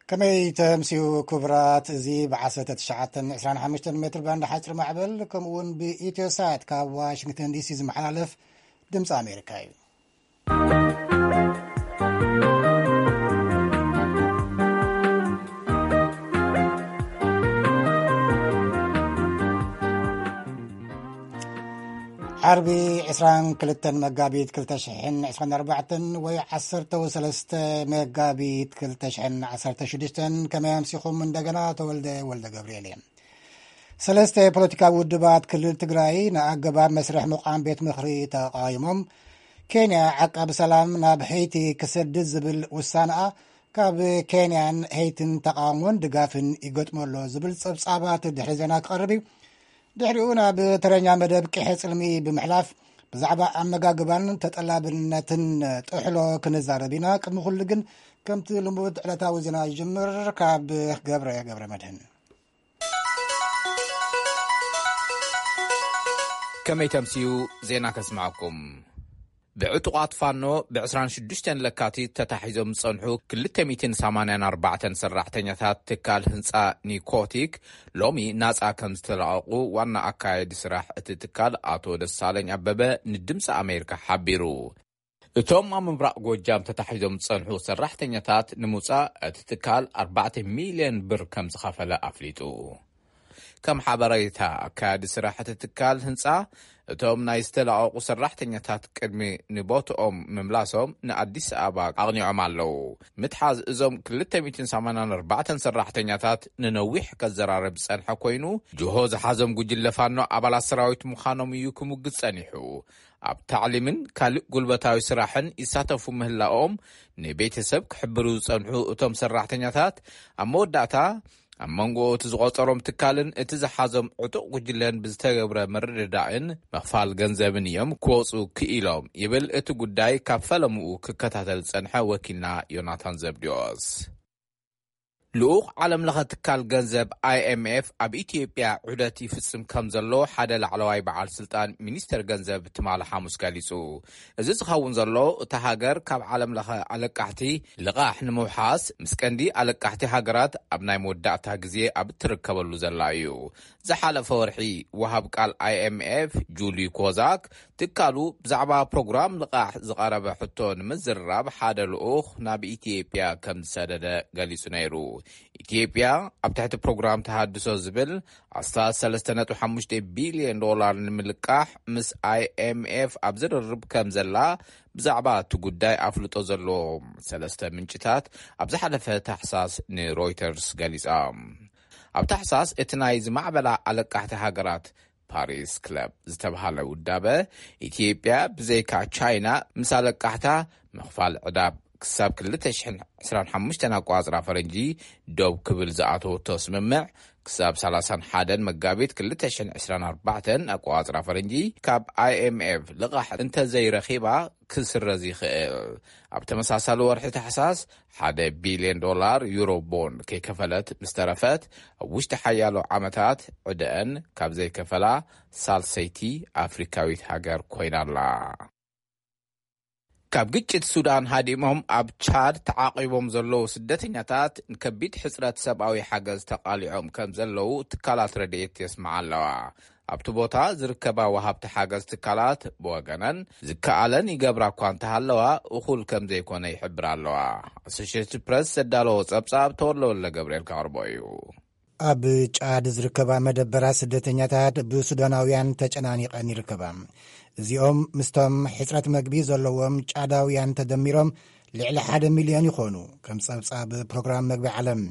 ከመይ ተምስዩ ክቡራት? እዚ ብ19 25 ሜትር ባንድ ሓፂር ማዕበል ከምኡ እውን ብኢትዮሳት ካብ ዋሽንግተን ዲሲ ዝመሓላለፍ ድምፂ ኣሜሪካ እዩ። ዓርቢ 22 መጋቢት 2024 ወይ 13 መጋቢት 2016። ከመይ ኣምሲኹም? እንደገና ተወልደ ወልደ ገብርኤል እየ። ሰለስተ ፖለቲካዊ ውድባት ክልል ትግራይ ንኣገባብ መስርሕ ምቋም ቤት ምኽሪ ተቃይሞም። ኬንያ ዓቃቢ ሰላም ናብ ሄይቲ ክሰድድ ዝብል ውሳነኣ ካብ ኬንያን ሄይትን ተቃውሞን ድጋፍን ይገጥሞ ኣሎ ዝብል ጸብጻባት ድሕሪ ዜና ክቐርብ እዩ። ድሕሪኡ ናብ ተረኛ መደብ ቅሐ ጽልሚ ብምሕላፍ ብዛዕባ ኣመጋግባን ተጠላብነትን ጥሕሎ ክንዛረብ ኢና። ቅድሚ ኩሉ ግን ከምቲ ልሙድ ዕለታዊ ዜና ይጅምር። ካብ ገብረ ገብረ መድህን። ከመይ ተምስዩ? ዜና ከስማዕኩም። ብዕጡቓት ፋኖ ብ26 ለካቲት ተታሒዞም ዝጸንሑ 284 ሰራሕተኛታት ትካል ህንጻ ኒኮቲክ ሎሚ ናጻ ከም ዝተለቐቑ ዋና ኣካየዲ ስራሕ እቲ ትካል ኣቶ ደሳለኝ ኣበበ ንድምፂ ኣሜሪካ ሓቢሩ። እቶም ኣብ ምብራቕ ጎጃም ተታሒዞም ዝጸንሑ ሰራሕተኛታት ንምውጻእ እቲ ትካል 4 ሚልዮን ብር ከም ዝኸፈለ ኣፍሊጡ። ከም ሓበሬታ ኣካያዲ ስራሕ እቲ ትካል ህንጻ፣ እቶም ናይ ዝተለቐቑ ሰራሕተኛታት ቅድሚ ንቦትኦም ምምላሶም ንኣዲስ ኣበባ ኣቕኒዖም ኣለዉ። ምትሓዝ እዞም 284 ሰራሕተኛታት ንነዊሕ ከዘራርብ ዝጸንሐ ኮይኑ፣ ጅሆ ዝሓዞም ጉጅለ ፋኖ ኣባላት ሰራዊት ምዃኖም እዩ ክምጉት ጸኒሑ። ኣብ ታዕሊምን ካልእ ጉልበታዊ ስራሕን ይሳተፉ ምህላኦም ንቤተሰብ ክሕብሩ ዝጸንሑ እቶም ሰራሕተኛታት፣ ኣብ መወዳእታ ኣብ መንጎ እቲ ዝቖጸሮም ትካልን እቲ ዝሓዞም ዕጡቕ ጉጅለን ብዝተገብረ ምርድዳእን ምኽፋል ገንዘብን እዮም ክወጹ ክኢሎም ይብል እቲ ጉዳይ ካብ ፈለምኡ ክከታተል ዝጸንሐ ወኪልና ዮናታን ዘብዲዎስ። ልኡኽ ዓለም ለኸ ትካል ገንዘብ ኣይኤምኤፍ ኣብ ኢትዮጵያ ዑደት ይፍጽም ከም ዘሎ ሓደ ላዕለዋይ በዓል ስልጣን ሚኒስተር ገንዘብ ትማሊ ሓሙስ ገሊጹ። እዚ ዝኸውን ዘሎ እታ ሃገር ካብ ዓለም ለኸ ኣለቃሕቲ ልቓሕ ንምውሓስ ምስ ቀንዲ ኣለቃሕቲ ሃገራት ኣብ ናይ መወዳእታ ግዜ ኣብ እትርከበሉ ዘላ እዩ። ዝሓለፈ ወርሒ ወሃብ ቃል ኣይኤምኤፍ ጁሊ ኮዛክ ትካሉ ብዛዕባ ፕሮግራም ልቓሕ ዝቐረበ ሕቶ ንምዝርራብ ሓደ ልኡኽ ናብ ኢትዮጵያ ከም ዝሰደደ ገሊጹ ነይሩ። ኢትዮጵያ ኣብ ትሕቲ ፕሮግራም ተሃድሶ ዝብል ኣስታት 3.5 ቢልዮን ዶላር ንምልቃሕ ምስ ኣይኤምኤፍ ኣብ ዝርርብ ከም ዘላ ብዛዕባ እቲ ጉዳይ ኣፍልጦ ዘለዎም ሰለስተ ምንጭታት ኣብ ዝሓለፈ ታሕሳስ ንሮይተርስ ገሊጻ። ኣብ ታሕሳስ እቲ ናይ ዝማዕበላ ኣለቃሕቲ ሃገራት ፓሪስ ክለብ ዝተባህለ ውዳበ፣ ኢትዮጵያ ብዘይካ ቻይና ምስ ኣለቃሕታ ምኽፋል ዕዳ ክሳብ 2025 ኣቋጽራ ፈረንጂ ደው ክብል ዝኣተወቶ ስምምዕ፣ ክሳብ 31 መጋቢት 2024 ኣቋጽራ ፈረንጂ ካብ ኣይኤምኤፍ ልቓሕ እንተዘይረኺባ ክስረዝ ይኽእል። ኣብ ተመሳሳሊ ወርሒ ታሕሳስ ሓደ ቢልዮን ዶላር ዩሮ ቦንድ ከይከፈለት ምስ ተረፈት፣ ኣብ ውሽጢ ሓያሎ ዓመታት ዕደአን ካብ ዘይከፈላ ሳልሰይቲ ኣፍሪካዊት ሃገር ኮይና ኣላ። ካብ ግጭት ሱዳን ሃዲሞም ኣብ ቻድ ተዓቒቦም ዘለዉ ስደተኛታት ንከቢድ ሕጽረት ሰብኣዊ ሓገዝ ተቓሊዖም ከም ዘለዉ ትካላት ረድኤት የስምዓ ኣለዋ። ኣብቲ ቦታ ዝርከባ ወሃብቲ ሓገዝ ትካላት ብወገነን ዝከኣለን ይገብራ እኳ እንተሃለዋ፣ እኹል ከም ዘይኮነ ይሕብራ ኣለዋ። ኣሶሽየትድ ፕረስ ዘዳለዎ ጸብጻብ ተወልደ ወልደ ገብርኤል ከቕርቦ እዩ። ኣብ ጫድ ዝርከባ መደበራት ስደተኛታት ብሱዳናውያን ተጨናኒቐን ይርከባ። እዚኦም ምስቶም ሕጽረት መግቢ ዘለዎም ጫዳውያን ተደሚሮም ልዕሊ ሓደ ሚልዮን ይኾኑ። ከም ጸብጻብ ፕሮግራም መግቢ ዓለም፣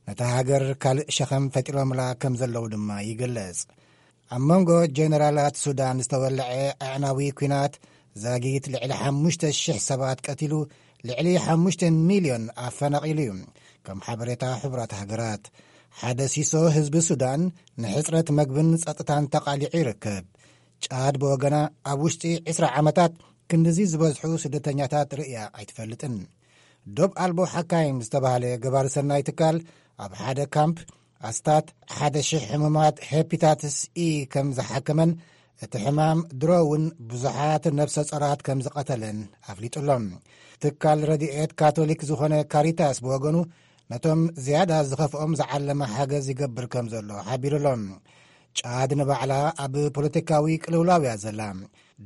ነታ ሃገር ካልእ ሸኸም ፈጢሮምላ ከም ዘለዉ ድማ ይግለጽ። ኣብ መንጎ ጀነራላት ሱዳን ዝተወልዐ ኣዕናዊ ኲናት ዛጊት ልዕሊ 5,000 ሰባት ቀቲሉ፣ ልዕሊ 5 ሚልዮን ኣፈናቒሉ እዩ። ከም ሓበሬታ ሕቡራት ሃገራት፣ ሓደ ሲሶ ህዝቢ ሱዳን ንሕጽረት መግብን ጸጥታን ተቓሊዑ ይርከብ። ጫድ ብወገና ኣብ ውሽጢ 20 ዓመታት ክንድዚ ዝበዝሑ ስደተኛታት ርእያ ኣይትፈልጥን። ዶብ ኣልቦ ሓካይም ዝተባህለ ገባሪ ሰናይ ትካል ኣብ ሓደ ካምፕ ኣስታት 1,000 ሕሙማት ሄፒታትስ ኢ ከም ዝሓከመን እቲ ሕማም ድሮ እውን ብዙሓት ነብሰ ጾራት ከም ዝቐተለን ኣፍሊጡ ኣሎ። ትካል ረድኤት ካቶሊክ ዝኾነ ካሪታስ ብወገኑ ነቶም ዝያዳ ዝኸፍኦም ዝዓለመ ሓገዝ ይገብር ከም ዘሎ ሓቢሩ ኣሎ። ጫድ ንባዕላ ኣብ ፖለቲካዊ ቅልውላው እያ ዘላ።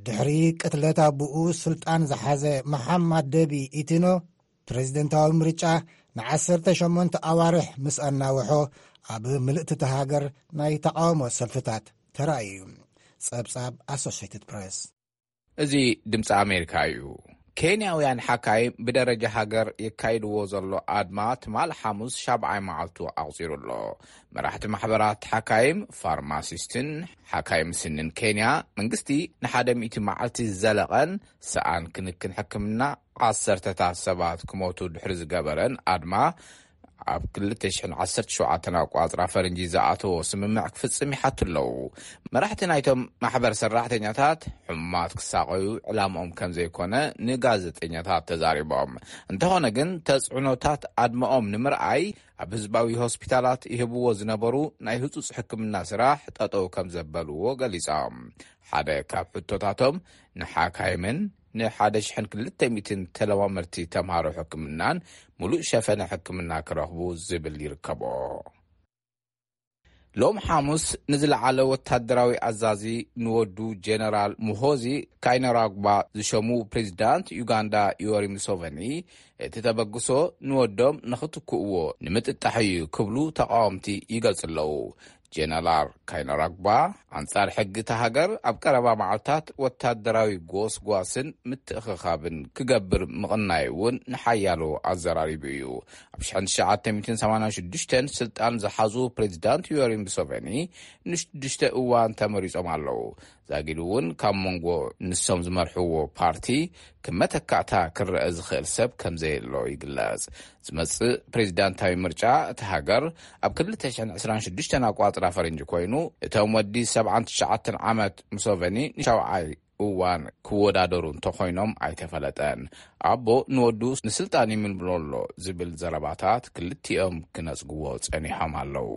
ድሕሪ ቅትለት ኣቦኡ ስልጣን ዝሓዘ መሓማድ ደቢ ኢቲኖ፣ ፕሬዝደንታዊ ምርጫ ንዓሰርተ ሸሞንተ ኣዋርሕ ምስ ኣናውሖ፣ ኣብ ምልእቲ እታ ሃገር ናይ ተቓውሞ ሰልፍታት ተራእዩ እዩ። ጸብጻብ ኣሶሽየትድ ፕሬስ። እዚ ድምፂ ኣሜሪካ እዩ። ኬንያውያን ሓካይም ብደረጃ ሃገር የካይድዎ ዘሎ ኣድማ ትማል ሓሙስ ሻብዓይ መዓልቱ ኣቑፂሩ ኣሎ። መራሕቲ ማሕበራት ሓካይም፣ ፋርማሲስትን ሓካይም ስንን ኬንያ፣ መንግስቲ ንሓደ ሚእቲ መዓልቲ ዝዘለቐን ሰኣን ክንክን ሕክምና፣ ዓሰርተታት ሰባት ክሞቱ ድሕሪ ዝገበረን ኣድማ፣ ኣብ ክልተ ሽሕን ዓሰርተ ሸውዓተን ኣቋፅራ ፈረንጂ ዝኣተዎ ስምምዕ ክፍፅም ይሓቱ ኣለዉ። መራሕቲ ናይቶም ማሕበር ሰራሕተኛታት ሕሙማት ክሳቐዩ ዕላምኦም ከም ዘይኮነ ንጋዜጠኛታት ተዛሪቦም። እንተኾነ ግን፣ ተፅዕኖታት ኣድመኦም ንምርኣይ ኣብ ህዝባዊ ሆስፒታላት ይህብዎ ዝነበሩ ናይ ህጹጽ ሕክምና ስራሕ ጠጠው ከም ዘበልዎ ገሊጾም። ሓደ ካብ ሕቶታቶም፣ ንሓካይምን ንሓደ ሽሕን ክልተ ሚእትን ተለማመድቲ ተምሃሮ ሕክምናን ሙሉእ ሸፈነ ሕክምና ክረኽቡ ዝብል ይርከቦ። ሎም ሓሙስ ንዝለዓለ ወታደራዊ ኣዛዚ ንወዱ ጀነራል ሙሆዚ ካይነራግባ ዝሸሙ ፕሬዚዳንት ዩጋንዳ ዮሪ ሙሶቨኒ፣ እቲ ተበግሶ ንወዶም ንኽትክእዎ ንምጥጣሕ እዩ ክብሉ ተቃወምቲ ይገልጹ ኣለዉ። ጀነራል ካይነራግባ፣ ኣንጻር ሕጊ እታ ሃገር ኣብ ቀረባ መዓልታት ወታደራዊ ጎስጓስን ምትእኽኻብን ክገብር ምቕናይ እውን ንሓያሎ ኣዘራሪቡ እዩ። ኣብ ሽሕን ትሽዓተ ሚእትን ሰማንያን ሽዱሽተን ስልጣን ዝሓዙ ፕሬዚዳንት ዮሪ ሙሶቨኒ፣ ንሽዱሽተ እዋን ተመሪጾም ኣለዉ። ዛጊድ እውን ካብ መንጎ ንሶም ዝመርሕዎ ፓርቲ ክመተካእታ ክረአ ዝኽእል ሰብ ከም ዘየሎ ይግለጽ። ዝመጽእ ፕሬዚዳንታዊ ምርጫ እታ ሃገር ኣብ ክልተ ሽሕን ዕስራን ሽዱሽተን ኣቋጽራ ፈረንጂ ኮይኑ፣ እቶም ወዲ ሰብዓን ትሽዓተን ዓመት ሙሶቨኒ ንሻውዓይ እዋን ክወዳደሩ እንተኾይኖም ኣይተፈለጠን። ኣቦ ንወዱ ንስልጣን ይምልምሎ ኣሎ ዝብል ዘረባታት ክልቲኦም ክነጽግዎ ጸኒሖም ኣለዉ።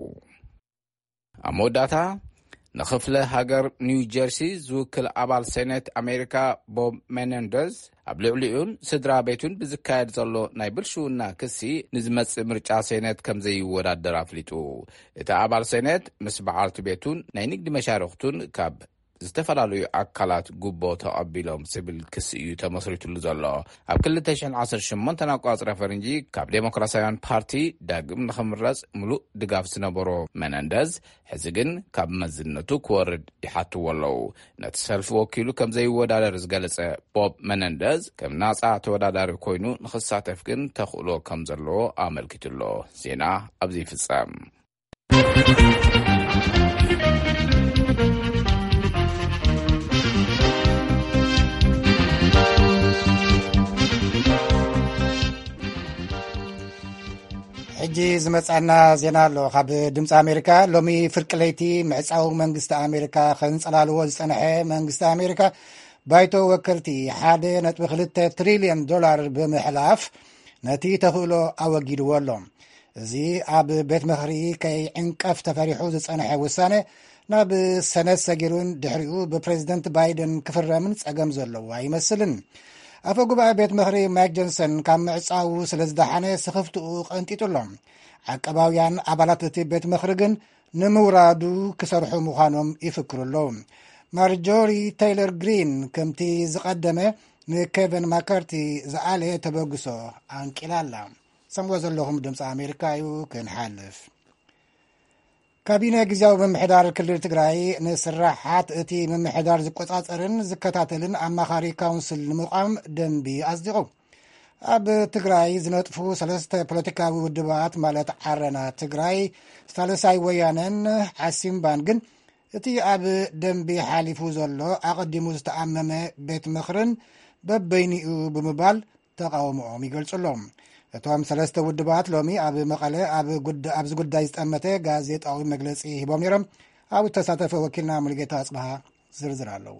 ኣብ መወዳእታ፣ ንኽፍለ ሃገር ኒው ጀርሲ ዝውክል ኣባል ሴኔት ኣሜሪካ ቦብ ሜነንደዝ፣ ኣብ ልዕሊኡን ስድራ ቤቱን ብዝካየድ ዘሎ ናይ ብልሽውና ክሲ ንዝመጽእ ምርጫ ሴኔት ከም ዘይወዳደር ኣፍሊጡ። እቲ ኣባል ሴኔት ምስ በዓልቲ ቤቱን ናይ ንግዲ መሻርኽቱን ካብ ዝተፈላለዩ ኣካላት ጉቦ ተቐቢሎም ዝብል ክሲ እዩ ተመስሪትሉ ዘሎ። ኣብ ክልተ ሽሕን ዓሰርተ ሸሞንተን ኣቋጽራ ፈረንጂ ካብ ዴሞክራሲያውያን ፓርቲ ዳግም ንኽምረጽ ምሉእ ድጋፍ ዝነበሮ መነንደዝ፣ ሕዚ ግን ካብ መዝነቱ ክወርድ ይሓትዎ ኣለዉ። ነቲ ሰልፊ ወኪሉ ከም ዘይወዳደር ዝገለጸ ቦብ መነንደዝ፣ ከም ናጻ ተወዳዳሪ ኮይኑ ንኽሳተፍ ግን ተኽእሎ ከም ዘለዎ ኣመልኪቱ ኣሎ። ዜና ኣብዚ ይፍጸም። ሕጂ ዝመጻና ዜና ኣሎ ካብ ድምፂ ኣሜሪካ። ሎሚ ፍርቂ ለይቲ ምዕፃው መንግስቲ ኣሜሪካ ከንፀላልዎ ዝፀንሐ መንግስቲ ኣሜሪካ፣ ባይቶ ወከልቲ ሓደ ነጥቢ ክልተ ትሪልዮን ዶላር ብምሕላፍ ነቲ ተኽእሎ ኣወጊድዎ ኣሎ። እዚ ኣብ ቤት ምኽሪ ከይዕንቀፍ ተፈሪሑ ዝጸንሐ ውሳነ ናብ ሰነት ሰጊሩን ድሕሪኡ ብፕሬዝደንት ባይደን ክፍረምን ጸገም ዘለዎ ኣይመስልን። ኣፈ ጉባኤ ቤት ምኽሪ ማይክ ጆንሰን ካብ ምዕጻዉ ስለ ዝደሓነ ስኽፍትኡ ቀንጢጡ ኣሎ። ዓቀባውያን ኣባላት እቲ ቤት ምኽሪ ግን ንምውራዱ ክሰርሑ ምዃኖም ይፍክሩ ኣለዉ። ማርጆሪ ቴይለር ግሪን ከምቲ ዝቐደመ ንኬቨን ማካርቲ ዝኣለየ ተበግሶ ኣንቂላ ኣላ። ሰምዎ ዘለኹም ድምፂ ኣሜሪካ እዩ። ክንሓልፍ፣ ካቢነ ግዜያዊ ምምሕዳር ክልል ትግራይ ንስራሓት እቲ ምምሕዳር ዝቆጻጸርን ዝከታተልን ኣማኻሪ ካውንስል ንምቋም ደንቢ ኣጽዲቑ። ኣብ ትግራይ ዝነጥፉ ሰለስተ ፖለቲካዊ ውድባት ማለት ዓረና ትግራይ፣ ሳልሳይ ወያነን ዓሲምባን ግን እቲ ኣብ ደንቢ ሓሊፉ ዘሎ ኣቐዲሙ ዝተኣመመ ቤት ምኽርን በበይኒኡ ብምባል ተቓውሞኦም ይገልጹ ኣለዉ። እቶም ሰለስተ ውድባት ሎሚ ኣብ መቐለ ኣብ ጉዳ-፣ ኣብዚ ጉዳይ ዝጠመተ ጋዜጣዊ መግለጺ ሂቦም ነይሮም። ኣብኡ ዝተሳተፈ ወኪልና ሙሉጌታ ኣጽብሃ ዝርዝር ኣለዎ።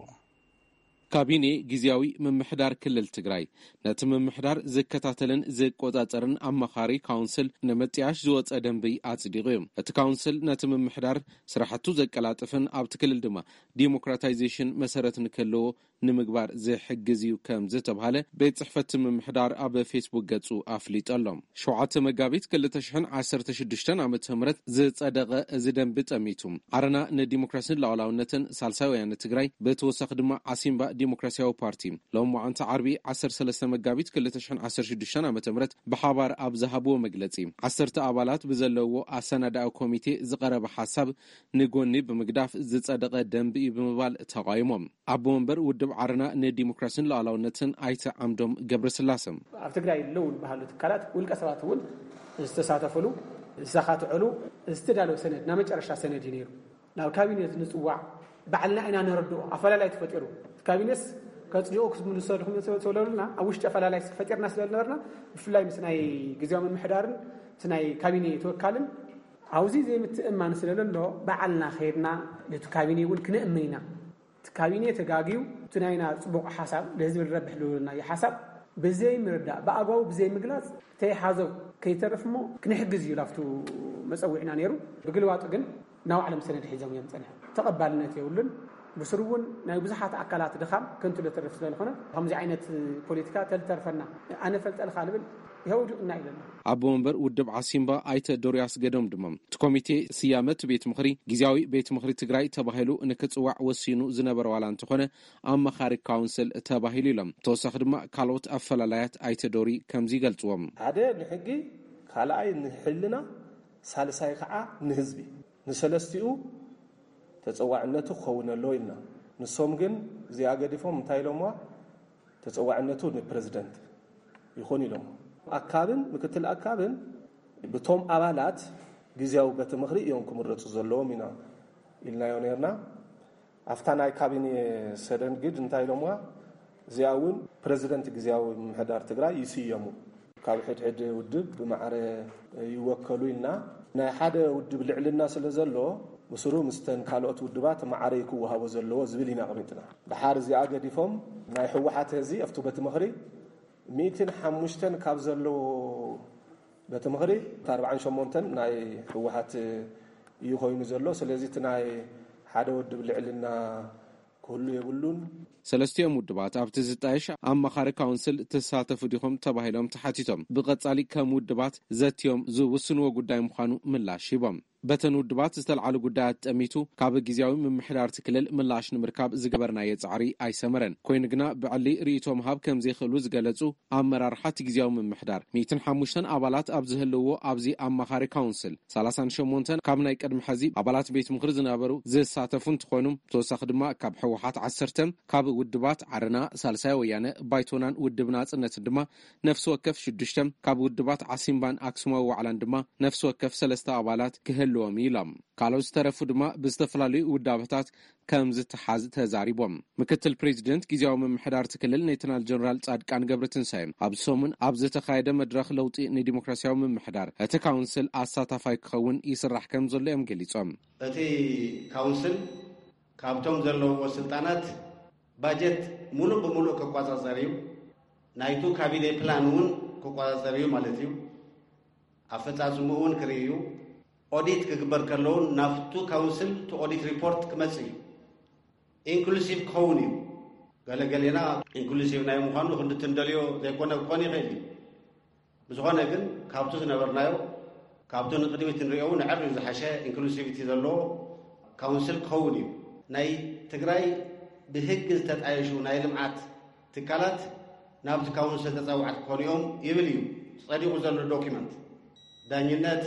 ካቢኔ ግዜያዊ ምምሕዳር ክልል ትግራይ ነቲ ምምሕዳር ዝከታተልን ዝቆጻጸርን ኣማኻሪ ካውንስል ንምጥያሽ ዝወጸ ደንቢ ኣጽዲቑ እዩ። እቲ ካውንስል ነቲ ምምሕዳር ስራሕቱ ዘቀላጥፍን ኣብቲ ክልል ድማ ዲሞክራታይዜሽን መሰረት ንክህልዎ ንምግባር ዝሕግዝ እዩ ከም ዝተባሃለ ቤት ጽሕፈት ምምሕዳር ኣብ ፌስቡክ ገጹ ኣፍሊጡ ኣሎ። ሸውዓተ መጋቢት ክልተ ሽሕን ዓሰርተ ሽዱሽተን ዓመተ ምህረት ዝጸደቐ እዚ ደንቢ ጠሚቱ፣ ዓረና ንዲሞክራስን ሉዓላውነትን፣ ሳልሳይ ወያነ ትግራይ፣ ብተወሳኺ ድማ ዓሲምባ ዲሞክራሲያዊ ፓርቲ፣ ሎም መዓንቲ ዓርቢ ዓሰርተ ሰለስተ መጋቢት ክልተ ሽሕን ዓሰርተ ሽዱሽተን ዓመተ ምህረት ብሓባር ኣብ ዝሃብዎ መግለጺ፣ ዓሰርተ ኣባላት ብዘለዎ ኣሰናዳኢ ኮሚቴ ዝቐረበ ሓሳብ ንጎኒ ብምግዳፍ ዝጸደቐ ደንቢ እዩ ብምባል ተቓይሞም። ኣቦ ወንበር ውድብ ዓረና ንዲሞክራስን ሉዓላውነትን ኣይተ ዓምዶም ገብረስላሰ። ኣብ ትግራይ ኣለዉ ዝበሃሉ ትካላት፣ ውልቀ ሰባት እውን ዝተሳተፉሉ፣ ዝተኻትዑሉ፣ ዝተዳለወ ሰነድ፣ ናይ መጨረሻ ሰነድ እዩ ነይሩ። ናብ ካቢኔ ንፅዋዕ፣ ባዕልና ኢና ነረድኦ። ኣፈላላይ ተፈጢሩ። እቲ ካቢኔስ ከፅድቁ ክምልሰልኩም ተበለሉና፣ ኣብ ውሽጢ ኣፈላላይ ፈጢርና ስለ ዝነበርና፣ ብፍላይ ምስ ናይ ግዜያዊ ምምሕዳርን እቲ ናይ ካቢኔ ተወካልን ኣብዚ ዘይምትእማን ስለ ዘሎ፣ ባዕልና ከይድና ነቲ ካቢኔ እውን ክነእምን ኢና። እቲ ካቢኔ ተጋግዩ፣ እቲ ናይና ጽቡቕ ሓሳብ፣ ንህዝቢ ዝረብሕ ዝብልናዮ ሓሳብ ብዘይምርዳእ፣ ብኣግባቡ ብዘይምግላጽ፣ ተይሓዞ ከይተርፍ እሞ ክንሕግዝ እዩ ላፍቱ መጸዊዕና ነይሩ። ብግልባጡ ግን ናብ ዓለም ሰነድ ሒዞም እዮም ጸኒሖም። ተቐባልነት የብሉን። ብስሩ እውን ናይ ብዙሓት ኣካላት ድኻም ከንቱ ለተርፍ ስለ ዝኾነ፣ ከምዚ ዓይነት ፖለቲካ ተልተርፈና፣ ኣነ ፈልጠልካ ልብል ይኸውድቕና ኢለና። ኣቦ ወንበር ውድብ ዓሲምባ ኣይተ ዶርያስ ገዶም ድማ፣ እቲ ኮሚቴ ስያመ እቲ ቤት ምኽሪ ግዜያዊ ቤት ምኽሪ ትግራይ ተባሂሉ ንክጽዋዕ ወሲኑ ዝነበረ ዋላ እንተኾነ፣ ኣማኻሪ ካውንስል ተባሂሉ ኢሎም። ተወሳኺ ድማ ካልኦት ኣፈላላያት ኣይተ ዶሪ ከምዚ ይገልጽዎም። ሓደ ንሕጊ፣ ካልኣይ ንሕልና፣ ሳልሳይ ከዓ ንህዝቢ። ንሰለስቲኡ ተጸዋዕነቱ ክኸውን ኣለዎ ኢልና። ንሶም ግን እዚኣ ገዲፎም እንታይ ኢሎምዋ? ተጸዋዕነቱ ንፕረዚደንት ይኹን ኢሎም። ኣካብን ምክትል ኣካብን ብቶም ኣባላት ግዜያዊ ቤት ምኽሪ እዮም ክምረጹ ዘለዎም ኢና ኢልናዮ ነርና። ኣብታ ናይ ካቢኔ ሰደን ግድ እንታይ ኢሎምዋ? እዚኣ እውን ፕረዚደንት ግዜያዊ ምምሕዳር ትግራይ ይስየሙ። ካብ ሕድሕድ ውድብ ብማዕረ ይወከሉ ኢልና። ናይ ሓደ ውድብ ልዕልና ስለ ዘሎ፣ ብስሩ ምስተን ካልኦት ውድባት ማዕረ ክወሃቦ ዘለዎ ዝብል ኢና ኣቕሚጥና። ድሓር እዚኣ ገዲፎም፣ ናይ ህወሓት እዚ ኣብቲ ቤት ምኽሪ ሚእትን ሓሙሽተን ካብ ዘለዎ ቤት ምኽሪ፣ እቲ ኣርባዓን ሸሞንተን ናይ ህወሓት እዩ ኮይኑ ዘሎ። ስለዚ እቲ ናይ ሓደ ውድብ ልዕልና ክህሉ የብሉን። ሰለስቲኦም ውድባት ኣብቲ ዝጣየሽ ኣማኻሪ ካውንስል ትሳተፉ ዲኹም ተባሂሎም ተሓቲቶም፣ ብቐጻሊ ከም ውድባት ዘትዮም ዝውስንዎ ጉዳይ ምዃኑ ምላሽ ሂቦም። በተን ውድባት ዝተልዓሉ ጉዳያት ጠሚቱ፣ ካብ ግዜያዊ ምምሕዳር እቲ ክልል ምላሽ ንምርካብ ዝገበርናዮ ጻዕሪ ኣይሰመረን። ኮይኑ ግና፣ ብዕሊ ርእይቶ ምሃብ ከም ዘይኽእሉ ዝገለጹ ኣመራርሓ እቲ ግዜያዊ ምምሕዳር፣ ሚእትን ሓሙሽተን ኣባላት ኣብ ዝህልዎ ኣብዚ ኣማኻሪ ካውንስል፣ ሰላሳን ሸሞንተን ካብ ናይ ቅድሚ ሕዚ ኣባላት ቤት ምኽሪ ዝነበሩ ዝሳተፉ እንትኾኑ፣ ብተወሳኺ ድማ ካብ ህወሓት ዓሰርተ፣ ካብ ውድባት ዓረና፣ ሳልሳይ ወያነ፣ ባይቶናን ውድብ ናጽነትን ድማ ነፍሲ ወከፍ ሽዱሽተ፣ ካብ ውድባት ዓሲምባን ኣክሱማዊ ዋዕላን ድማ ነፍሲ ወከፍ ሰለስተ ኣባላት ክህልዎም እዩ ኢሎም። ካልኦት ዝተረፉ ድማ ብዝተፈላለዩ ውዳበታት ከም ዝተሓዝ ተዛሪቦም። ምክትል ፕሬዚደንት ግዜያዊ ምምሕዳር እቲ ክልል ሌተናል ጀነራል ጻድቃን ገብረትንሳኤ፣ ኣብዚ ሰሙን ኣብ ዝተኻየደ መድረኽ ለውጢ ንዲሞክራሲያዊ ምምሕዳር፣ እቲ ካውንስል ኣሳታፋይ ክኸውን ይስራሕ ከም ዘሎ እዮም ገሊጾም። እቲ ካውንስል ካብቶም ዘለውዎ ስልጣናት፣ ባጀት ሙሉእ ብሙሉእ ክቆጻጸር እዩ። ናይቱ ካቢኔ ፕላን እውን ክቆጻጸር እዩ ማለት እዩ። ኣፈጻጽምኡ እውን ክርኢ እዩ። ኦዲት ክግበር ከለውን ናብቱ ካውንስል እቲ ኦዲት ሪፖርት ክመጽእ እዩ። ኢንክሉሲቭ ክኸውን እዩ። ገለገሌና ኢንክሉሲቭ ናይ ምዃኑ ክንዲ ትንደልዮ ዘይኮነ ክኾን ይኽእል እዩ። ብዝኾነ ግን፣ ካብቱ ዝነበርናዮ፣ ካብቱ ንቕድሚት ንሪኦ እውን ኣዕርዩ ዝሓሸ ኢንክሉሲቪቲ ዘለዎ ካውንስል ክኸውን እዩ። ናይ ትግራይ ብህግ ዝተጣየሹ ናይ ልምዓት ትካላት ናብቲ ካውንስል ተጻዋዕቲ ክኾኑ እዮም ይብል እዩ ጸዲቑ ዘሎ ዶኪመንት። ዳኝነት፣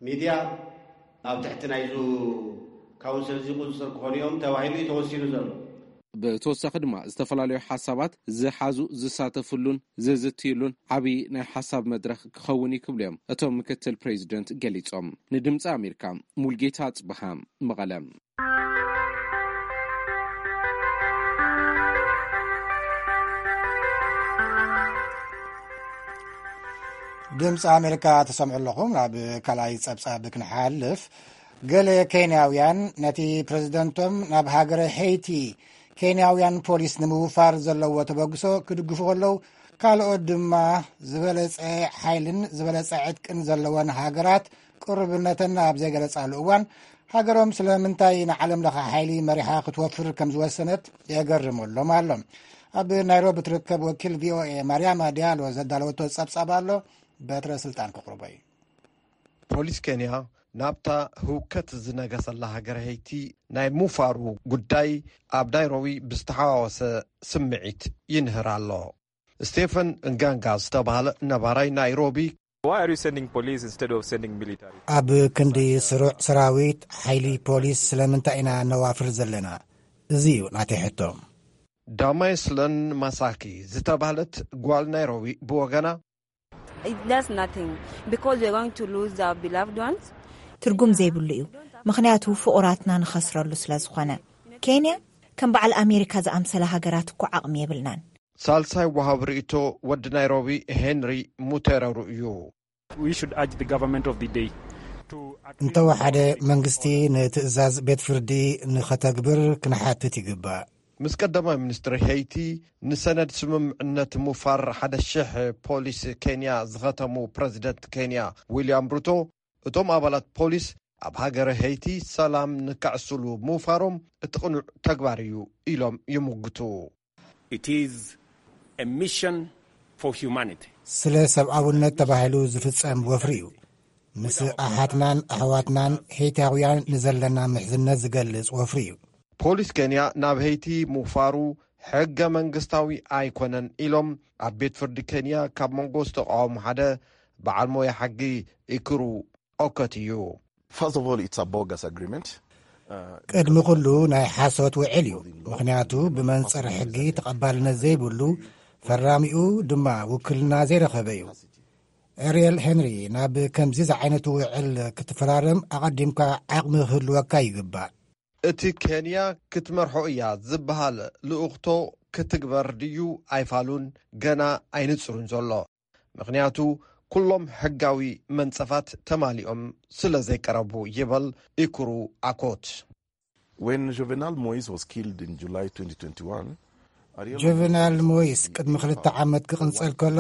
ሚድያ ኣብ ትሕቲ ናይዙ ካውንስል እዚ ቁጽጽር ክኾኑ እዮም ተባሂሉ እዩ ተወሲኑ ዘሎ። ብተወሳኺ ድማ፣ ዝተፈላለዩ ሓሳባት ዝሓዙ ዝሳተፍሉን ዝዝትይሉን ዓብዪ ናይ ሓሳብ መድረኽ ክኸውን እዩ ክብሉ እዮም እቶም ምክትል ፕሬዚደንት ገሊጾም። ንድምፂ ኣሜሪካ፣ ሙልጌታ ኣጽብሃ፣ መቐለ። ድምፂ ኣሜሪካ ተሰምዑ ኣለኹም። ናብ ካልኣይ ጸብጻብ ክንሓልፍ፣ ገለ ኬንያውያን ነቲ ፕረዚደንቶም ናብ ሃገረ ሄይቲ ኬንያውያን ፖሊስ ንምውፋር ዘለዎ ተበግሶ ክድግፉ ከለዉ፣ ካልኦት ድማ ዝበለጸ ሓይልን ዝበለጸ ዕጥቅን ዘለወን ሃገራት ቅሩብነተን ኣብ ዘይገለጻሉ እዋን፣ ሃገሮም ስለምንታይ ንዓለም ለኸ ሓይሊ መሪሓ ክትወፍር ከም ዝወሰነት የገርመሎም ኣሎ። ኣብ ናይሮቢ ትርከብ ወኪል ቪ ኦ ኤ ማርያማ ዲያሎ ዘዳለወቶ ጸብጻብ ኣሎ። በትረ ስልጣን ክቕርቦ እዩ። ፖሊስ ኬንያ ናብታ ህውከት ዝነገሰላ ሃገር ሄይቲ ናይ ምፋሩ ጉዳይ ኣብ ናይሮቢ ብዝተሓዋወሰ ስምዒት ይንህር ኣሎ። ስቴፈን እንጋንጋ ዝተባህለ ነባራይ ናይሮቢ Why are you sending police instead of sending military? ኣብ ክንዲ ስሩዕ ሰራዊት ሓይሊ ፖሊስ ስለምንታይ ኢና ነዋፍር ዘለና? እዚ እዩ ናተይ ሕቶ። ዳማይስለን ማሳኪ ዝተባህለት ጓል ናይሮቢ ብወገና That's nothing because we're going to lose our beloved ones. ትርጉም ዘይብሉ እዩ፣ ምኽንያቱ ፍቑራትና ንኸስረሉ ስለ ዝኾነ። ኬንያ ከም በዓል ኣሜሪካ ዝኣምሰለ ሃገራት እኮ ዓቕሚ የብልናን። ሳልሳይ ወሃብ ርእቶ ወዲ ናይሮቢ ሄንሪ ሙቴረሩ እዩ። We should urge the government of the day to እንተወሓደ መንግስቲ ንትእዛዝ ቤት ፍርዲ ንኸተግብር ክንሓትት ይግባእ። ምስ ቀዳማይ ሚኒስትሪ ሄይቲ ንሰነድ ስምምዕነት ሙፋር ሓደ ሽሕ ፖሊስ ኬንያ ዝኸተሙ ፕረዚደንት ኬንያ ዊልያም ሩቶ፣ እቶም ኣባላት ፖሊስ ኣብ ሃገረ ሄይቲ ሰላም ንካዕስሉ ምውፋሮም እቲ ቅኑዕ ተግባር እዩ ኢሎም ይምግቱ። It is a mission for humanity. ስለ ሰብኣውነት ተባሂሉ ዝፍጸም ወፍሪ እዩ። ምስ ኣሓትናን ኣሕዋትናን ሄይታውያን ንዘለና ምሕዝነት ዝገልጽ ወፍሪ እዩ። ፖሊስ ኬንያ ናብ ሄይቲ ምውፋሩ ሕገ መንግስታዊ ኣይኮነን ኢሎም ኣብ ቤት ፍርዲ ኬንያ ካብ መንጎ ዝተቃወሙ ሓደ በዓል ሞያ ሕጊ ኢክሩ ኦከት እዩ። First of all, it's a bogus agreement. ቅድሚ ኩሉ ናይ ሓሶት ውዕል እዩ። ምኽንያቱ ብመንጽር ሕጊ ተቐባልነት ዘይብሉ፣ ፈራሚኡ ድማ ውክልና ዘይረኸበ እዩ። ኤርየል ሄንሪ ናብ ከምዚ ዝዓይነቱ ውዕል ክትፈራረም ኣቐዲምካ ዓቕሚ ክህልወካ ይግባእ። እቲ ኬንያ ክትመርሖ እያ ዝበሃል ልኡኽቶ ክትግበር ድዩ ኣይፋሉን ገና ኣይንጽሩን ዘሎ። ምኽንያቱ ኩሎም ሕጋዊ መንጸፋት ተማሊኦም ስለ ዘይቀረቡ ይበል ኢኩሩ ኣኮት። When Juvenal Moise was killed in July twenty twenty-one, Ariel ጁቨናል ሞይስ ቅድሚ ክልተ ዓመት ክቕንጸል ከሎ፣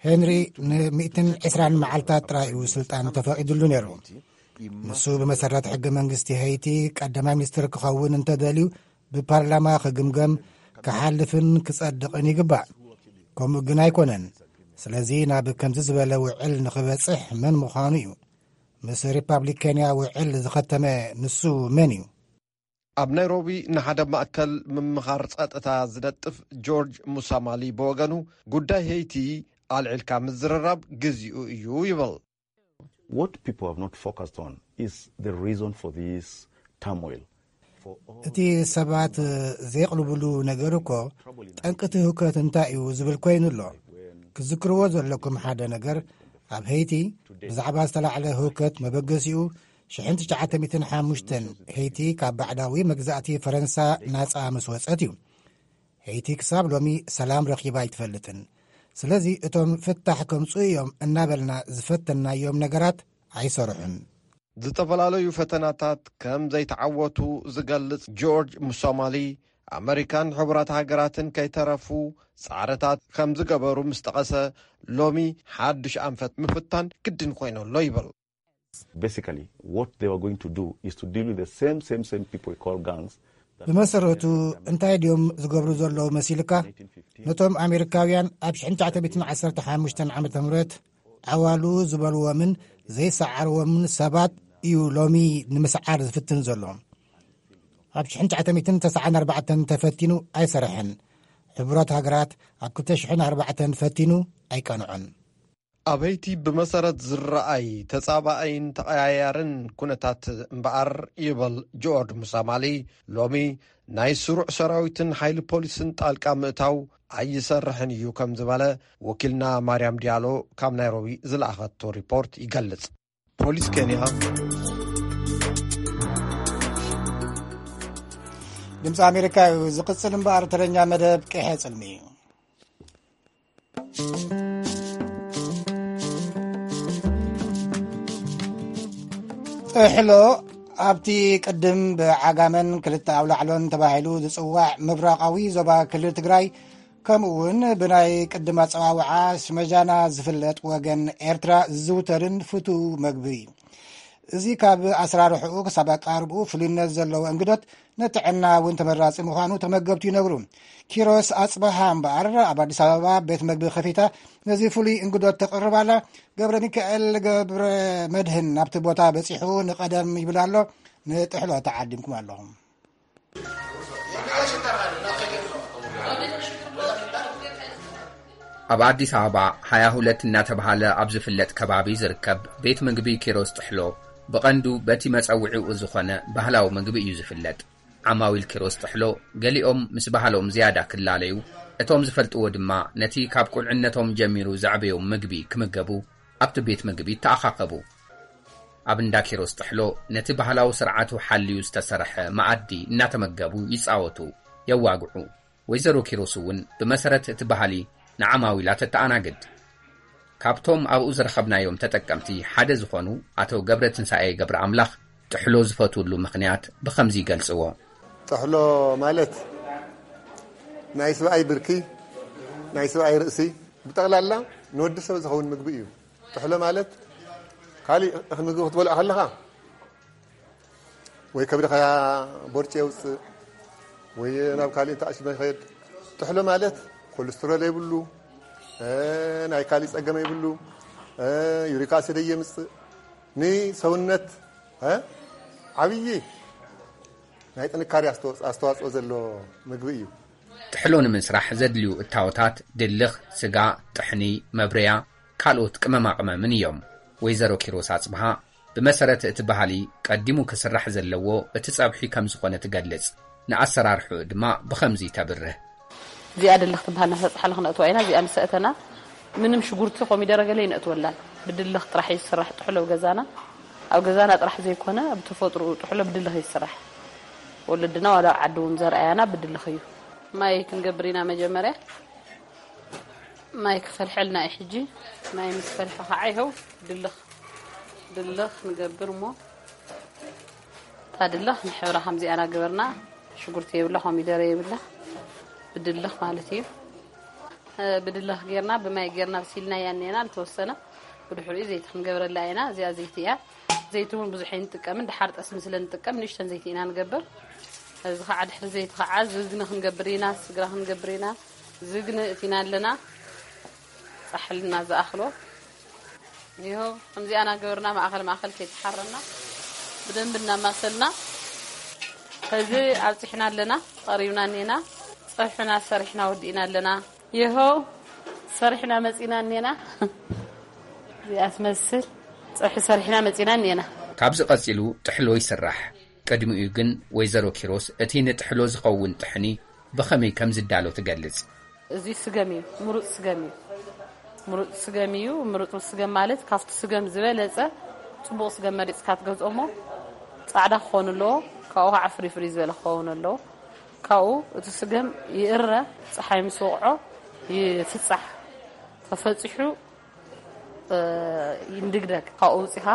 ሄንሪ ን ሚእትን ዕስራን መዓልታት ጥራይ እዩ ስልጣን ተፈቒዱሉ ነይሩ። ንሱ ብመሰረት ሕገ መንግስቲ ሄይቲ ቀዳማይ ሚኒስትር ክኸውን እንተደልዩ ብፓርላማ ክግምገም፣ ክሓልፍን ክጸድቕን ይግባእ። ከምኡ ግን ኣይኮነን። ስለዚ ናብ ከምዚ ዝበለ ውዕል ንኽበጽሕ መን ምዃኑ እዩ። ምስ ሪፓብሊክ ኬንያ ውዕል ዝኸተመ ንሱ መን እዩ? ኣብ ናይሮቢ ንሓደ ማእከል ምምኻር ጸጥታ ዝነጥፍ ጆርጅ ሙሳማሊ ብወገኑ፣ ጉዳይ ሄይቲ ኣልዒልካ ምዝርራብ ግዚኡ እዩ ይብል። What people have not focused on is the reason for this turmoil. እቲ ሰባት ዘይቕልብሉ ነገር እኮ፣ ጠንቅቲ ህውከት እንታይ እዩ ዝብል ኮይኑ ኣሎ። ክዝክርዎ ዘለኩም ሓደ ነገር፣ ኣብ ሄይቲ ብዛዕባ ዝተላዕለ ህውከት መበገሲኡ ሽሕን ትሽዓተ ሚእትን ሓሙሽተን ሄይቲ ካብ ባዕዳዊ መግዛእቲ ፈረንሳ ናጻ ምስ ወጸት እዩ። ሄይቲ ክሳብ ሎሚ ሰላም ረኺባ ኣይትፈልጥን። ስለዚ እቶም ፍታሕ ከምጽኡ እዮም እናበልና ዝፈተናዮም ነገራት ኣይሰርሑን። ዝተፈላለዩ ፈተናታት ከም ዘይተዓወቱ ዝገልጽ ጆርጅ ሙሶማሊ፣ ኣመሪካን ሕቡራት ሃገራትን ከይተረፉ ጻዕርታት ከም ዝገበሩ ምስ ጠቐሰ፣ ሎሚ ሓድሽ ኣንፈት ምፍታን ግድን ኮይኑ ኣሎ ይብል። Basically, what they were going to do is to deal with the same, same, same people we call gangs. ብመሰረቱ እንታይ ድዮም ዝገብሩ ዘለዉ መሲልካ? ነቶም ኣሜሪካውያን ኣብ ሽሕን ትሽዓተ ሚእትን ዓሰርተ ሓሙሽተን ዓመተ ምህረት ዓዋሉ ዝበልዎምን ዘይሰዓርዎምን ሰባት እዩ ሎሚ ንምስዓር ዝፍትን ዘሎ። ኣብ ሽሕን ትሽዓተ ሚእትን ተስዓን ኣርባዕተን ተፈቲኑ ኣይሰረሐን። ሕቡራት ሃገራት ኣብ ክልተ ሽሕን ኣርባዕተን ፈቲኑ ኣይቀንዖን። ኣብ ሄይቲ ብመሰረት ዝረኣይ ተጻባኣይን ተቐያያርን ኩነታት እምበኣር፣ ይበል ጆርጅ ሙሳማሊ፣ ሎሚ ናይ ስሩዕ ሰራዊትን ሓይሊ ፖሊስን ጣልቃ ምእታው ኣይሰርሕን እዩ ከም ዝበለ ወኪልና ማርያም ዲያሎ ካብ ናይሮቢ ዝለኣኸቶ ሪፖርት ይገልጽ። ፖሊስ ኬንያ ድምፂ ኣሜሪካ እዩ ዝቕፅል እምበኣር፣ ተረኛ መደብ ቅሐ ፅልሚ እዩ። ጥሕሎ ኣብቲ ቅድም ብዓጋመን ክልተ ኣውላዕሎን ተባሂሉ ዝፅዋዕ ምብራቓዊ ዞባ ክልል ትግራይ፣ ከምኡ እውን ብናይ ቅድም ኣፀዋውዓ ሽመጃና ዝፍለጥ ወገን ኤርትራ ዝዝውተርን ፍቱው መግቢ እዩ። እዚ ካብ ኣሰራርሕኡ ክሳብ ኣቀራርብኡ ፍሉይነት ዘለዎ እንግዶት ንጥዕና እውን ተመራጺ ምዃኑ ተመገብቲ ይነግሩ። ኪሮስ ኣጽበሃ እምበኣር ኣብ ኣዲስ ኣበባ ቤት መግቢ ከፊታ ነዚ ፍሉይ እንግዶት ተቕርብ ኣላ። ገብረ ሚካኤል ገብረ መድህን ናብቲ ቦታ በጺሑ ንቐደም ይብል ኣሎ። ንጥሕሎ ተዓዲምኩም ኣለኹም። ኣብ ኣዲስ ኣበባ ሃያ ሁለት እናተባህለ ኣብ ዝፍለጥ ከባቢ ዝርከብ ቤት ምግቢ ኪሮስ ጥሕሎ ብቐንዱ በቲ መጸውዒኡ ዝኾነ ባህላዊ ምግቢ እዩ ዝፍለጥ። ዓማዊል ኪሮስ ጥሕሎ ገሊኦም ምስ ባህሎም ዝያዳ ክላለዩ፣ እቶም ዝፈልጥዎ ድማ ነቲ ካብ ቁልዕነቶም ጀሚሩ ዘዕበዮም ምግቢ ክምገቡ ኣብቲ ቤት ምግቢ ይተኣኻኸቡ። ኣብ እንዳ ኪሮስ ጥሕሎ ነቲ ባህላዊ ስርዓቱ ሓልዩ ዝተሰርሐ መኣዲ እናተመገቡ ይጻወቱ፣ የዋግዑ። ወይዘሮ ኪሮስ እውን ብመሰረት እቲ ባህሊ ንዓማዊላ ተተኣናግድ። ካብቶም ኣብኡ ዝረኸብናዮም ተጠቀምቲ ሓደ ዝኾኑ ኣቶ ገብረ ትንሳኤ ገብረ ኣምላኽ ጥሕሎ ዝፈትውሉ ምኽንያት ብኸምዚ ይገልጽዎ። ጥሕሎ ማለት ናይ ስብኣይ ብርኪ፣ ናይ ስብኣይ ርእሲ፣ ብጠቕላላ ንወዲ ሰብ ዝኸውን ምግቢ እዩ። ጥሕሎ ማለት ካሊእ እኽሊ ምግቢ ክትበልዖ ከለኻ ወይ ከብድኻ ቦርጭ የውፅእ ወይ ናብ ካሊእ ተኣሽመ ይኸድ። ጥሕሎ ማለት ኮሌስትሮል የብሉ፣ እ፣ ናይ ካሊእ ፀገም የብሉ፣ እ፣ ዩሪክ ኣሲድ የምፅእ። ንሰውነት፣ እ፣ ዓብዪ ናይ ጥንካሬ ኣስተዋ-፣ ኣስተዋፅኦ ዘሎ ምግቢ እዩ። ጥሕሎ ንምስራሕ ዘድልዩ እታወታት ድልኽ፣ ስጋ፣ ጥሕኒ፣ መብረያ፣ ካልኦት ቅመማ ቅመምን እዮም። ወይዘሮ ኪሮስ ኣጽብሃ ብመሰረት እቲ ባህሊ ቀዲሙ ክስራሕ ዘለዎ እቲ ጸብሒ ከም ዝኾነ ትገልጽ። ንኣሰራርሕኡ ድማ ብኸምዚ ተብርህ። እዚኣ ድልኽ ትበሃል፣ ናብታ ጻሕሊ ክነእትዋ ኢና። እዚኣ ምስ ኣእተና ምንም ሽጉርቲ ኮሚደረ ገለ ይነእትወላን። ብድልኽ ጥራሕ እዩ ዝስራሕ ጥሕሎ ኣብ ገዛና። ኣብ ገዛና ጥራሕ ዘይኮነ ኣብ ተፈጥሮኡ ጥሕሎ ብድልኽ እዩ ዝስራሕ። ወለድና ዋላ ኣብ ዓዲ እውን ዘርኣያና ብድልኽ እዩ። ማይ ክንገብር ኢና መጀመርያ። ማይ ክፈልሐልና እዩ ሕጂ። ማይ ምስ ፈልሐ ከዓ ይኸው ድልኽ፣ ድልኽ ንገብር እሞ፣ እታ ድልኽ ንሕብራ ከምዚኣ እናገበርና፣ ሽጉርቲ የብላ፣ ኮሚደረ የብላ፣ ብድልኽ ማለት እዩ። እ፣ ብድልኽ ጌርና፣ ብማይ ጌርና ኣብሲልናያ እኒአና፣ ዝተወሰነ ብድሕሪኡ ዘይቲ ክንገብረላ ኢና። እዚኣ ዘይቲ እያ። ዘይቲ እውን ብዙሕ ኣይንጥቀምን፣ ደሓር ጠስሚ ስለ ንጥቀም ንእሽተን ዘይቲ ኢና ንገብር። እዚ ከዓ ድሕሪ ዘይቲ ከዓ ዝግኒ ክንገብር ኢና፣ ስግራ ክንገብር ኢና። ዝግኒ እቲና ኣለና፣ ጻሕልና ዝኣኽሎ። ይኸው ከምዚኣ እናገበርና ማእኸል ማእኸል ከይተሓረና ብደንቢ እናማሰልና፣ ሕዚ ኣብፂሕና ኣለና፣ ቀሪብና እኒና፣ ፀብሕና ሰሪሕና ወዲእና ኣለና። ይኸው ሰሪሕና መፂና እኒና። እዚኣ ትመስል ፀብሒ ሰሪሕና መፂና እኒና። ካብዚ ቀፂሉ ጥሕሎ ይስራሕ። ቅድሚኡ ግን ወይዘሮ ኪሮስ እቲ ንጥሕሎ ዝኸውን ጥሕኒ ብኸመይ ከም ዝዳሎ ትገልጽ። እዚ ስገም እዩ፣ ምሩጽ ስገም እዩ። ምሩጽ ስገም እዩ። ምሩጽ ስገም ማለት ካብቲ ስገም ዝበለጸ ጽቡቕ ስገም መሪጽካ ትገዝኦ እሞ ጻዕዳ ክኸውን ኣለዎ። ካብኡ ከዓ ፍሪ ፍሪ ዝበለ ክኸውን ኣለዎ። ካብኡ እቲ ስገም ይእረ፣ ጸሓይ ምስ ወቕዖ ይፍጻሕ። ተፈጺሑ እ፣ ይንድግደግ። ካብኡ ኣውጺኻ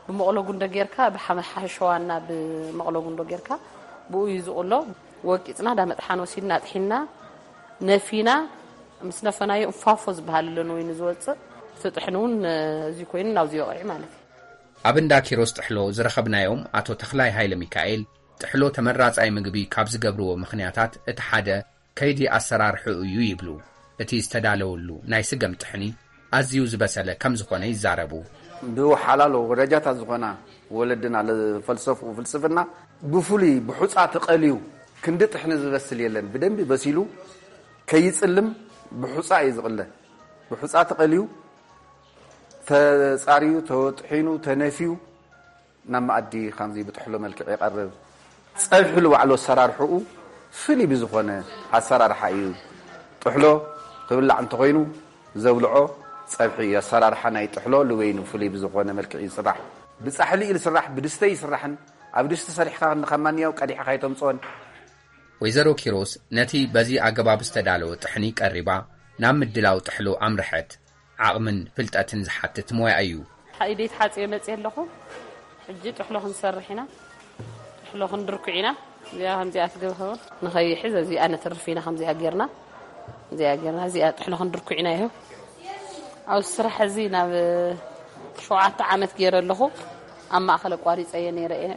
ብመቕሎ ጉንዶ ጌርካ፣ ብሓመ-፣ ሓሸዋና ብመቕሎ ጉንዶ ጌርካ፣ ብኡ እዩ ዝቕሎ። ወቂጽና፣ ዳመጥሓን ወሲድና፣ ኣጥሒንና፣ ነፊና፣ ምስ ነፈናዮ እንፋፎ ዝበሃል ኣሎ፣ ንወይኒ ዝወጽእ። እቲ ጥሕኒ እውን፣ እ፣ እዚ ኮይኑ ናብዚ ይወቕዕ ማለት እዩ። ኣብ እንዳ ኪሮስ ጥሕሎ ዝረኸብናዮም ኣቶ ተኽላይ ሃይለ ሚካኤል፣ ጥሕሎ ተመራጻይ ምግቢ ካብ ዝገብርዎ ምኽንያታት እቲ ሓደ ከይዲ ኣሰራርሕኡ እዩ ይብሉ። እቲ ዝተዳለወሉ ናይ ስገም ጥሕኒ ኣዝዩ ዝበሰለ ከም ዝኾነ ይዛረቡ። ብሓላሎ ወዳጃታት ዝኾና ወለድና ዝፈልሰፍኡ ፍልስፍና ብፍሉይ ብሑጻ ተቐልዩ ክንዲ ጥሕኒ ዝበስል የለን። ብደንቢ በሲሉ ከይጽልም ብሑጻ እዩ ዝቕለ። ብሑጻ ተቐልዩ ተጻርዩ፣ ተወጥሒኑ፣ ተነፍዩ ናብ መኣዲ ከምዚ ብጥሕሎ መልክዕ ይቐርብ። ጸብሒ ንባዕሉ ኣሰራርሕኡ ፍሉይ ብዝኾነ ኣሰራርሓ እዩ። ጥሕሎ ክብላዕ እንተኾይኑ ዘብልዖ ጸብሒ እዩ። ኣሰራርሓ ናይ ጥሕሎ ንበይኑ ፍሉይ ብዝኾነ መልክዕ እዩ ዝስራሕ። ብጻሕሊ እዩ ዝስራሕ፣ ብድስተ ይስራሕን ኣብ ድስቲ ሰሪሕካ ከም ማንኛው ቀዲሕካ ኣይተምጽኦን። ወይዘሮ ኪሮስ ነቲ በዚ ኣገባብ ዝተዳለወ ጥሕኒ ቀሪባ ናብ ምድላው ጥሕሎ ኣምርሐት። ዓቕምን ፍልጠትን ዝሓትት ሞያ እዩ። ኢደይ ተሓጺበ መጽየ ኣለኹ። ሕጂ ጥሕሎ ክንሰርሕ ኢና። ጥሕሎ ክንድርኩዕ ኢና። እዚኣ ከምዚኣ ትገብኸውን። ንኸይሕዝ እዚኣ ነትርፍ ኢና ከምዚኣ ጌርና። እዚኣ ጌርና፣ እዚኣ ጥሕሎ ክንድርኩዕ ኢና። ይኸው ኣብዚ ስራሕ እዚ ናብ ሸውዓተ ዓመት ገይረ ኣለኹ። ኣብ ማእኸል ኣቋሪፀ እየ ነይረ እየ።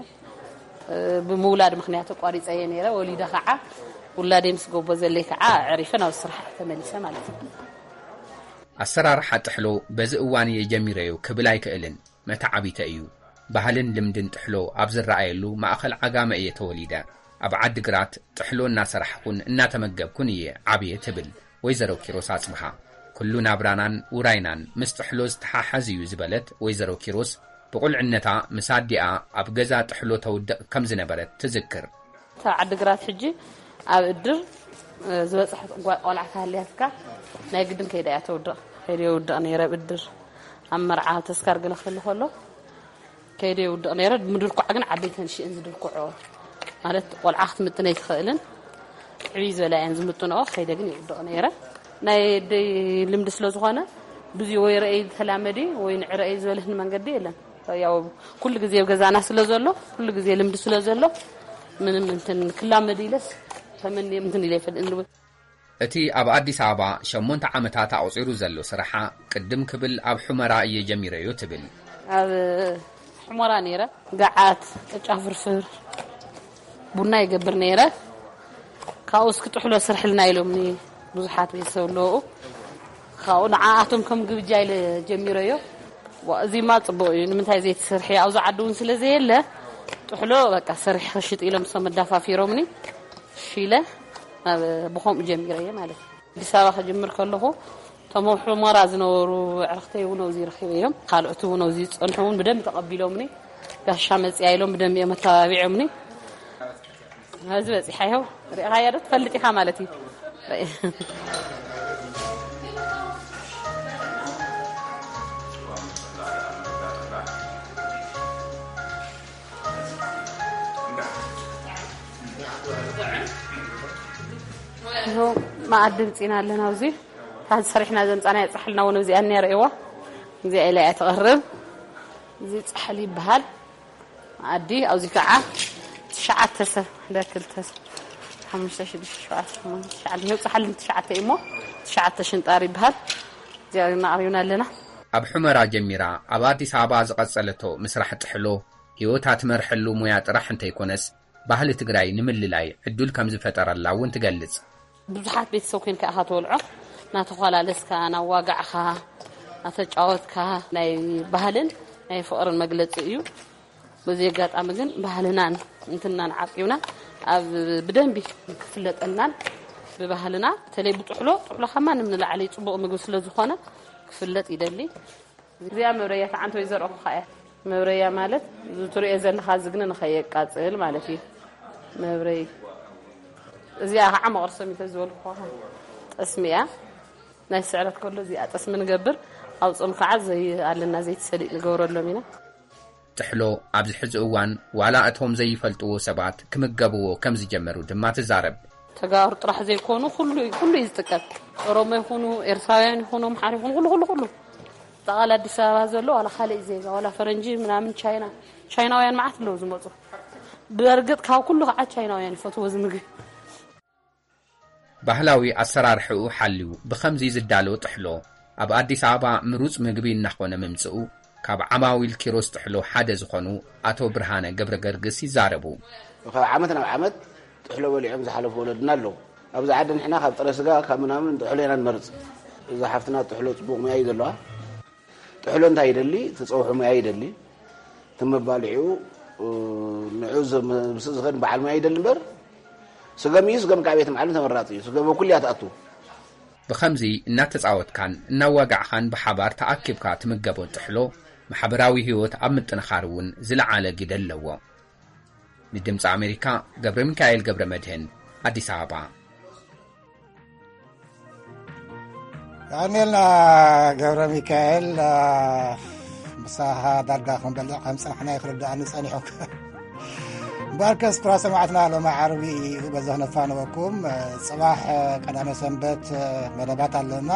እ፣ ብምውላድ ምኽንያት ኣቋሪፀ እየ ነይረ። ወሊደ ከዓ ውላደይ ምስ ጎቦ ዘለይ ከዓ ኣዕሪፈ ናብ ስራሕ ተመሊሰ ማለት እዩ። ኣሰራርሓ ጥሕሎ በዚ እዋን እየ ጀሚረዮ ክብል ኣይክእልን። መተዓቢተ እዩ። ባህልን ልምድን ጥሕሎ ኣብ ዝረኣየሉ ማእኸል ዓጋመ እየ ተወሊደ። ኣብ ዓዲግራት ጥሕሎ እናሰራሕኩን እናተመገብኩን እየ ዓብየ ትብል ወይዘሮ ኪሮስ ኣጽብሃ። ኩሉ ናብራናን ውራይናን ምስ ጥሕሎ ዝተሓሓዝ እዩ ዝበለት ወይዘሮ ኪሮስ፣ ብቑልዕነታ ምስ ኣዲኣ ኣብ ገዛ ጥሕሎ ተውድቕ ከም ዝነበረት ትዝክር። ካብ ዓዲግራት ሕጂ ኣብ እድር፣ እ፣ ዝበፅሐት ጓ-፣ ቆልዓ ተሃልያትካ ናይ ግድን ከይዳ እያ ተውድቕ። ከይደ የውድቕ ነይረ ኣብ እድር። ኣብ መርዓ ተስካር ገለ ክህሉ ከሎ ከይደ የውድቕ ነይረ። ምድርኳዕ ግን ዓበይተን ሽእን ዝድርኩዖ ማለት ቆልዓ ክትምጥን ኣይትኽእልን። ዕብይ ዝበላ እየን ዝምጥንኦ። ከይደ ግን ይውድቕ ነይረ። ናይ ደይ ልምዲ ስለ ዝኾነ ብዙ ወይ ረእይ ተላመዲ ወይ ንዕረእይ ዝበልህን መንገዲ የለን። ያው ኩሉ ግዜ ኣብ ገዛና ስለ ዘሎ፣ ኩሉ ግዜ ልምዲ ስለ ዘሎ ምንም እንትን ክላመድ ኢለስ ተመንየ እንትን ኢለ ይፈልጥ። እቲ ኣብ ኣዲስ ኣበባ ሸሞንተ ዓመታት ኣቑጺሩ ዘሎ ስራሓ ቅድም ክብል ኣብ ሑመራ እየ ጀሚረዮ ትብል። ኣብ ሑመራ ነይረ፣ ገዓት፣ ቅጫ ፍርፍር፣ ቡና ይገብር ነይረ። ካብኡ እስኪ ጥሕሎ ስርሕልና ኢሎምኒ ብዙሓት ቤተሰብ ኣለዉ። ካብኡ ንዓኣቶም ከም ግብጃ ኢለ ጀሚረዮ። ዋ፣ እዚማ ጽቡቕ እዩ፣ ንምንታይ ዘይትሰርሒ? ኣብዚ ዓዲ እውን ስለ ዘየለ ጥሕሎ በቃ ሰሪሕኺ ሽጢ ኢሎም እሶም ኣዳፋፊሮምኒ። እሺ ኢለ ናብ ብኸምኡ ጀሚረዮ ማለት እዩ። ኣዲስ ኣበባ ክጅምር ከለኹ እቶም ኣብ ሑመራ ዝነበሩ ኣዕርኽተይ እውን ኣብዚ ረኺበዮም። ካልኦት እውን ኣብዚ ዝጸንሑ እውን ብደንቢ ተቐቢሎምኒ። ጋሻ መጽያ ኢሎም ብደንቢ እዮም ኣተባቢዖምኒ። ኣብዚ በጺሓ ይኸው ርኢኻያ ዶ ትፈልጥ ኢኻ ማለት እዩ። ይኸው መኣዲ ምጺና ኣለና። ኣብዚ ታዚ ሰሪሕና ዘምጻናያ ጻሕልና እውን እዚኣ እኒኣ ርእይዋ። እዚኣ ኢላ እያ ትቐርብ። እዚ ጻሕሊ ይበሃል። መኣዲ ኣብዚ ከዓ ትሽዓተ ሰብ፣ ሓደ፣ ክልተ፣ ሓሙሽተ፣ ሽዱሽተ፣ ሸውዓተ፣ ሸሞንተ፣ ትሽዓተ፣ ይኸው ጻሕሊ ትሽዓተ እዩ እሞ ትሽዓተ ሽንጣር ይበሃል። እዚኣ እናቕሪብና ኣለና። ኣብ ሑመራ ጀሚራ ኣብ ኣዲስ ኣበባ ዝቐጸለቶ ምስራሕ ጥሕሎ፣ ህይወታ ትመርሐሉ ሙያ ጥራሕ እንተይኮነስ፣ ባህሊ ትግራይ ንምልላይ ዕዱል ከም ዝፈጠረላ እውን ትገልጽ። ብዙሓት ቤተሰብ ኮይንካ ኢኻ ተወልዖ፣ እናተኳላለስካ፣ እናዋጋዕኻ፣ እናተጫወትካ፣ ናይ ባህልን ናይ ፍቕርን መግለጺ እዩ። በዚ ኣጋጣሚ ግን ባህልናን እንትናን ዓቂብና ኣብ ብደንቢ ክፍለጠልናን ብባህልና፣ በተለይ ብጥሕሎ፣ ጥሕሎ ካብ ማንም ንላዕሊ ጽቡቕ ምግቢ ስለ ዝኾነ ክፍለጥ ይደሊ። እዚኣ መብረያ ተዓንተ ወይ ዘርኦ ኸዓ እያ። መብረያ ማለት እዚ ትሪኦ ዘለኻ ዝግነ ንኸየቃጽል ማለት እዩ። መብረይ እዚኣ ኸዓ መቕርሶም እዩ ተዝበልኩ ኸዓ ጠስሚ እያ። ናይ ስዕረት ከሎ እዚኣ ጠስሚ ንገብር፣ ኣብ ጾም ኸዓ ዘይ ኣለና ዘይቲ ሰሊጥ ንገብረሎም ኢና። ጥሕሎ ኣብዚ ሕዚ እዋን ዋላ እቶም ዘይፈልጥዎ ሰባት ክምገብዎ ከም ዝጀመሩ ድማ ትዛረብ። ተጋሩ ጥራሕ ዘይኮኑ ኩሉ፣ ኩሉ እዩ ዝጥቀም። ኦሮሞ ይኹኑ፣ ኤርትራውያን ይኹኑ፣ ኣምሓራ ይኹኑ፣ ኩሉ፣ ኩሉ፣ ኩሉ። ጠቓላ ኣዲስ ኣበባ ዘሎ ዋላ ካልእ ዜጋ፣ ዋላ ፈረንጂ ምናምን፣ ቻይና፣ ቻይናውያን መዓት ኣለዉ ዝመፁ። ብእርግጥ ካብ ኩሉ ከዓ ቻይናውያን ይፈትዎ እዚ ምግቢ። ባህላዊ ኣሰራርሕኡ ሓልዩ ብኸምዚ ዝዳሎ ጥሕሎ ኣብ ኣዲስ ኣበባ ምሩፅ ምግቢ እናኾነ ምምፅኡ ካብ ዓማዊል ኪሮስ ጥሕሎ ሓደ ዝኾኑ ኣቶ ብርሃነ ገብረ ገርግስ ይዛረቡ። ካብ ዓመት ናብ ዓመት ጥሕሎ በሊዖም ዝሓለፉ ወለድና ኣለዉ። ኣብዚ ዓዲ ንሕና ካብ ጥረ ስጋ ካብ ምናምን ጥሕሎ ኢና ንመርፅ። እዛ ሓፍትና ጥሕሎ ፅቡቕ ሙያ እዩ ዘለዋ። ጥሕሎ እንታይ ይደሊ? እቲ ፀውሒ ሙያ ይደሊ። እቲ መባልዒኡ፣ እ፣ ንዑ ዘ-፣ ምስእ ዝኸድ በዓል ሙያ ይደሊ እምበር፣ ስገም እዩ፣ ስገም ካብ ቤት መዓልም ተመራፂ እዩ። ስገም ኣብ ኩሉ እያ ትኣቱ። ብኸምዚ እናተጻወትካን እናዋጋዕኻን ብሓባር ተኣኪብካ ትምገቦ ጥሕሎ፣ ማሕበራዊ ህይወት ኣብ ምጥንኻር እውን ዝለዓለ ግደ ኣለዎ። ንድምፂ ኣሜሪካ፣ ገብረ ሚካኤል ገብረ መድህን፣ ኣዲስ ኣበባ። የቐንየልና ገብረ ሚካኤል፣ አ፣ ምሳኻ ዳርጋ ክንበልዕ ከም ዝጸናሕና እዩ ክርድኣኒ ጸኒሑ። እምበኣርከስ ክቡራት ሰማዕትና፣ ሎሚ ዓርቢ እዩ በዚ ክነፋንወኩም። ጽባሕ ቀዳመ ሰንበት መደባት ኣለና፣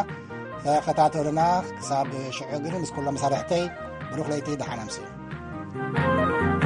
ተኸታተሉና። ክሳብ ሽዑ ግን ምስ ኩሎም መሳርሕተይ ብሩኽ ለይቲ፣ ደሓን ኣምስዩ።